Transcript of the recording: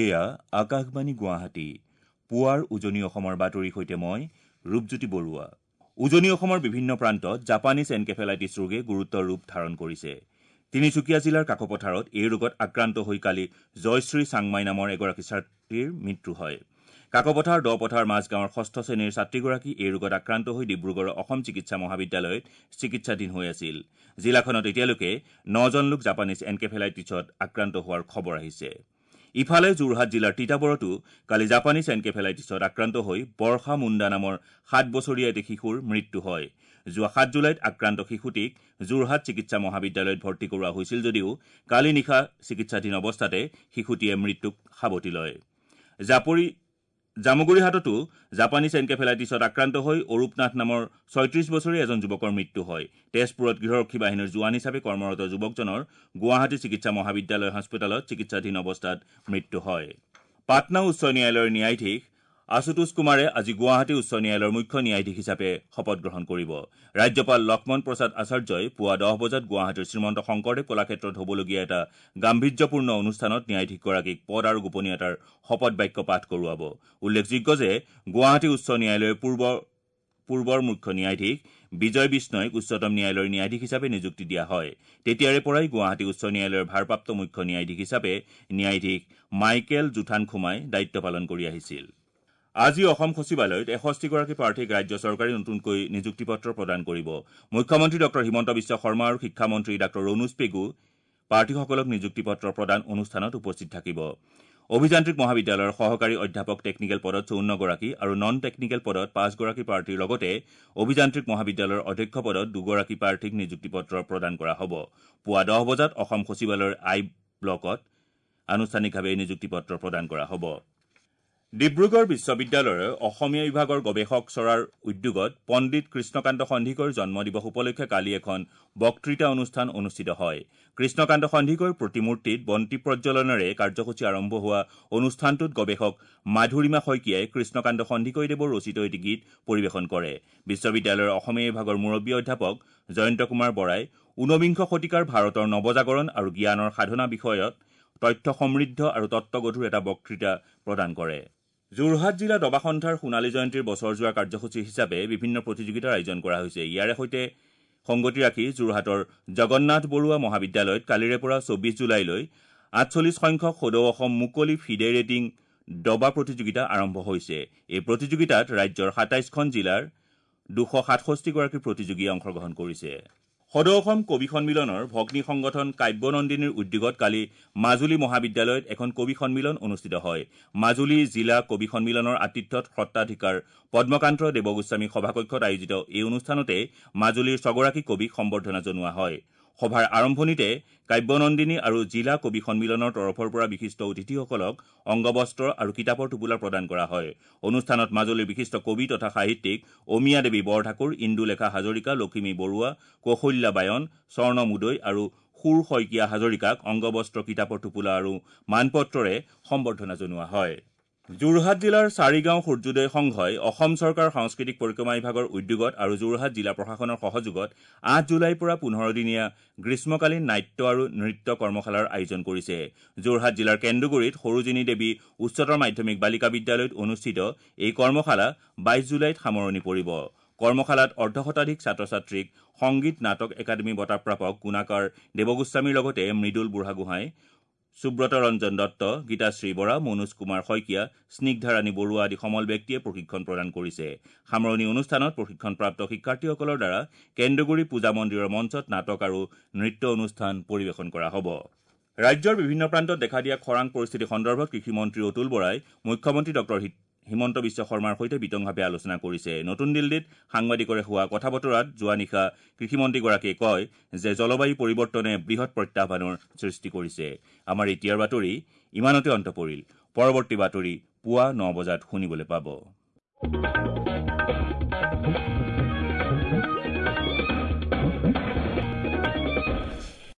এয়া আকাশবাণী গুৱাহাটী। পুৱাৰ উজনি অসমৰ বাতৰিৰ সৈতে মই ৰূপজ্যোতি বৰুৱা। উজনি অসমৰ বিভিন্ন প্ৰান্তত জাপানীজ এনকেফেলাইটিছ ৰোগে গুৰুতৰ ৰূপ ধাৰণ কৰিছে। তিনিচুকীয়া জিলাৰ কাকপথাৰত এই ৰোগত আক্ৰান্ত হৈ কালি জয়শ্ৰী চাংমাই নামৰ এগৰাকী ছাত্ৰীৰ মৃত্যু হয়। কাকপথাৰ দপথাৰ মাজগাঁৱৰ ষষ্ঠ শ্ৰেণীৰ ছাত্ৰীগৰাকী এই ৰোগত আক্ৰান্ত হৈ ডিব্ৰুগড়ৰ অসম চিকিৎসা মহাবিদ্যালয়ত চিকিৎসাধীন হৈ আছিল। জিলাখনত এতিয়ালৈকে ৯জন লোক জাপানীজ এনকেফেলাইটিছত আক্ৰান্ত হোৱাৰ খবৰ আহিছে। ইফালে যোৰহাট জিলাৰ তিতাবৰতো কালি জাপানীজ এনকেফেলাইটিছত আক্ৰান্ত হৈ বৰ্ষা মুণ্ডা নামৰ ৭ বছৰীয়া এটি শিশুৰ মৃত্যু হয়। যোৱা ৭ জুলাইত আক্ৰান্ত শিশুটিক যোৰহাট চিকিৎসা মহাবিদ্যালয়ত ভৰ্তি কৰোৱা হৈছিল যদিও কালি নিশা চিকিৎসাধীন অৱস্থাতে শিশুটিয়ে মৃত্যুক সাৱটি লয়। জামুগুৰিহাটতো জাপানীজ এনকেফেলাইটিছত আক্ৰান্ত হৈ অৰূপ নাথ নামৰ ৩৬ বছৰীয়া এজন যুৱকৰ মৃত্যু হয়। তেজপুৰত গৃহৰক্ষী বাহিনীৰ জোৱান হিচাপে কৰ্মৰত যুৱকজনৰ গুৱাহাটী চিকিৎসা মহাবিদ্যালয় হাস্পতালত চিকিৎসাধীন অৱস্থাত মৃত্যু হয়। পাটনা উচ্চ ন্যায়ালয়ৰ ন্যায়াধীশ আশুতোষ কুমাৰে আজি গুৱাহাটী উচ্চ ন্যায়ালয়ৰ মুখ্য ন্যায়াধীশ হিচাপে শপত গ্ৰহণ কৰিব। ৰাজ্যপাল লক্ষ্মণ প্ৰসাদ আচাৰ্যই পুৱা ১০ বজাত গুৱাহাটীৰ শ্ৰীমন্ত শংকৰদেৱ কলাক্ষেত্ৰত হ'বলগীয়া এটা গাম্ভীৰ্যপূৰ্ণ অনুষ্ঠানত ন্যায়াধীশগৰাকীক পদ আৰু গোপনীয়তাৰ শপত বাক্য পাঠ কৰোৱাব। উল্লেখযোগ্য যে গুৱাহাটী উচ্চ ন্যায়ালয়ৰ পূৰ্বৰ মুখ্য ন্যায়াধীশ বিজয় বিষ্ণৈক উচ্চতম ন্যায়ালয়ৰ ন্যায়াধীশ হিচাপে নিযুক্তি দিয়া হয়। তেতিয়াৰে পৰাই গুৱাহাটী উচ্চ ন্যায়ালয়ৰ ভাৰপ্ৰাপ্ত মুখ্য ন্যায়াধীশ হিচাপে ন্যায়াধীশ মাইকেল জোথানখুমাই দায়িত্ব পালন কৰি আহিছিল। আজি অসম সচিবালয়ত ৬১গৰাকী প্ৰাৰ্থীক ৰাজ্য চৰকাৰে নতুনকৈ নিযুক্তি পত্ৰ প্ৰদান কৰিব। মুখ্যমন্ত্ৰী ডঃ হিমন্ত বিশ্ব শৰ্মা আৰু শিক্ষামন্ত্ৰী ডাঃ ৰণোজ পেগু প্ৰাৰ্থীসকলক নিযুক্তি পত্ৰ প্ৰদান অনুষ্ঠানত উপস্থিত থাকিব। অভিযান্ত্ৰিক মহাবিদ্যালয়ৰ সহকাৰী অধ্যাপক টেকনিকেল পদত ৫৪গৰাকী আৰু নন টেকনিকেল পদত ৫গৰাকী প্ৰাৰ্থীৰ লগতে অভিযান্ত্ৰিক মহাবিদ্যালয়ৰ অধ্যক্ষ পদত ২গৰাকী প্ৰাৰ্থীক নিযুক্তি পত্ৰ প্ৰদান কৰা হ'ব। পুৱা ১০ বজাত অসম সচিবালয়ৰ আই ব্লকত আনুষ্ঠানিকভাৱে নিযুক্তি পত্ৰ প্ৰদান কৰা হ'ব। ডিব্ৰুগড় বিশ্ববিদ্যালয়ৰ অসমীয়া বিভাগৰ গৱেষক চৰাৰ উদ্যোগত পণ্ডিত কৃষ্ণকান্ত সন্দিকৈৰ জন্মদিৱস উপলক্ষে কালি এখন বক্তৃতা অনুষ্ঠান অনুষ্ঠিত হয়। কৃষ্ণকান্ত সন্দিকৈৰ প্ৰতিমূৰ্তিত বন্তি প্ৰজ্বলনেৰে কাৰ্যসূচী আৰম্ভ হোৱা অনুষ্ঠানটোত গৱেষক মাধুৰিমা শইকীয়াই কৃষ্ণকান্ত সন্দিকৈদেৱৰ ৰচিত এটি গীত পৰিৱেশন কৰে। বিশ্ববিদ্যালয়ৰ অসমীয়া বিভাগৰ মুৰব্বী অধ্যাপক জয়ন্ত কুমাৰ বৰাই ঊনবিংশ শতিকাৰ ভাৰতৰ নৱজাগৰণ আৰু জ্ঞানৰ সাধনা বিষয়ত তথ্য সমৃদ্ধ আৰু তত্ত্বগধুৰ এটা বক্তৃতা প্ৰদান কৰে। যোৰহাট জিলা দবা সন্থাৰ সোণালী জয়ন্তীৰ বছৰ যোৱা কাৰ্যসূচী হিচাপে বিভিন্ন প্ৰতিযোগিতাৰ আয়োজন কৰা হৈছে। ইয়াৰে সৈতে সংগতি ৰাখি যোৰহাটৰ জগন্নাথ বৰুৱা মহাবিদ্যালয়ত কালিৰে পৰা ২৪ জুলাইলৈ ৪৮ সংখ্যক সদৌ অসম মুকলি ফিডে ৰেটিং দবা প্ৰতিযোগিতা আৰম্ভ হৈছে। এই প্ৰতিযোগিতাত ৰাজ্যৰ ২৭খন জিলাৰ ২৬৭গৰাকী প্ৰতিযোগীয়ে অংশগ্ৰহণ কৰিছে। সদৌ অসম কবি সন্মিলনৰ ভগ্নী সংগঠন কাব্যনন্দিনীৰ উদ্যোগত কালি মাজুলী মহাবিদ্যালয়ত এখন কবি সন্মিলন অনুষ্ঠিত হয়। মাজুলী জিলা কবি সন্মিলনৰ আতিথ্যত সত্ৰাধিকাৰ পদ্মকান্ত দেৱগোস্বামী সভাকক্ষত আয়োজিত এই অনুষ্ঠানতে মাজুলীৰ ৬গৰাকী কবিক সম্বৰ্ধনা জনোৱা হয়। সভাৰ আৰম্ভণিতে কাব্যনন্দিনী আৰু জিলা কবি সন্মিলনৰ তৰফৰ পৰা বিশিষ্ট অতিথিসকলক অংগবস্ত্ৰ আৰু কিতাপৰ টোপোলা প্ৰদান কৰা হয়। অনুষ্ঠানত মাজুলীৰ বিশিষ্ট কবি তথা সাহিত্যিক অমিয়া দেৱী বৰঠাকুৰ, ইন্দুলেখা হাজৰিকা, লখিমী বৰুৱা, কৌশল্যা বায়ন, স্বৰ্ণ মুদৈ আৰু সুৰ শইকীয়া হাজৰিকাক অংগবস্ত্ৰ, কিতাপৰ টোপোলা আৰু মানপত্ৰৰে সম্বৰ্ধনা জনোৱা হয়। যোৰহাট জিলাৰ চাৰিগাঁও সূৰ্যোদয় সংঘই অসম চৰকাৰৰ সাংস্কৃতিক পৰিক্ৰমা বিভাগৰ উদ্যোগত আৰু যোৰহাট জিলা প্ৰশাসনৰ সহযোগত ৮ জুলাইৰ পৰা ১৫ দিনীয়া গ্ৰীষ্মকালীন নাট্য আৰু নৃত্য কৰ্মশালাৰ আয়োজন কৰিছে। যোৰহাট জিলাৰ কেন্দুগুৰিত সৰোজিনী দেৱী উচ্চতৰ মাধ্যমিক বালিকা বিদ্যালয়ত অনুষ্ঠিত এই কৰ্মশালা ২২ জুলাইত সামৰণি পৰিব। কৰ্মশালাত অৰ্ধশতাধিক ছাত্ৰ ছাত্ৰীক সংগীত নাটক একাডেমী বঁটা প্ৰাপক গুণাকৰ দেৱগোস্বামীৰ লগতে মৃদুল বুঢ়াগোহাঁই, সুব্ৰত ৰঞ্জন দত্ত, গীতাশ্ৰী বৰা, মনোজ কুমাৰ শইকীয়া, স্নিগ্ধাৰাণী বৰুৱা আদি সমল ব্যক্তিয়ে প্ৰশিক্ষণ প্ৰদান কৰিছে। সামৰণি অনুষ্ঠানত প্ৰশিক্ষণপ্ৰাপ্ত শিক্ষাৰ্থীসকলৰ দ্বাৰা কেন্দুগুৰি পূজা মন্দিৰৰ মঞ্চত নাটক আৰু নৃত্য অনুষ্ঠান পৰিৱেশন কৰা হ'ব। ৰাজ্যৰ বিভিন্ন প্ৰান্তত দেখা দিয়া খৰাং পৰিস্থিতি সন্দৰ্ভত কৃষিমন্ত্ৰী অতুল বৰাই মুখ্যমন্ত্ৰী ডঃ হিমন্ত বিশ্ব শৰ্মাৰ সৈতে বিতংভাৱে আলোচনা কৰিছে। নতুন দিল্লীত সাংবাদিকৰে হোৱা কথা বতৰাত যোৱা নিশা কৃষিমন্ত্ৰীগৰাকীয়ে কয় যে জলবায়ু পৰিৱৰ্তনে বৃহৎ প্ৰত্যাহ্বানৰ সৃষ্টি কৰিছে। আমাৰ এতিয়াৰ বাতৰি ইমানতে অন্ত পৰিল। পৰৱৰ্তী বাতৰি পুৱা ৯ বজাত শুনিবলৈ পাব।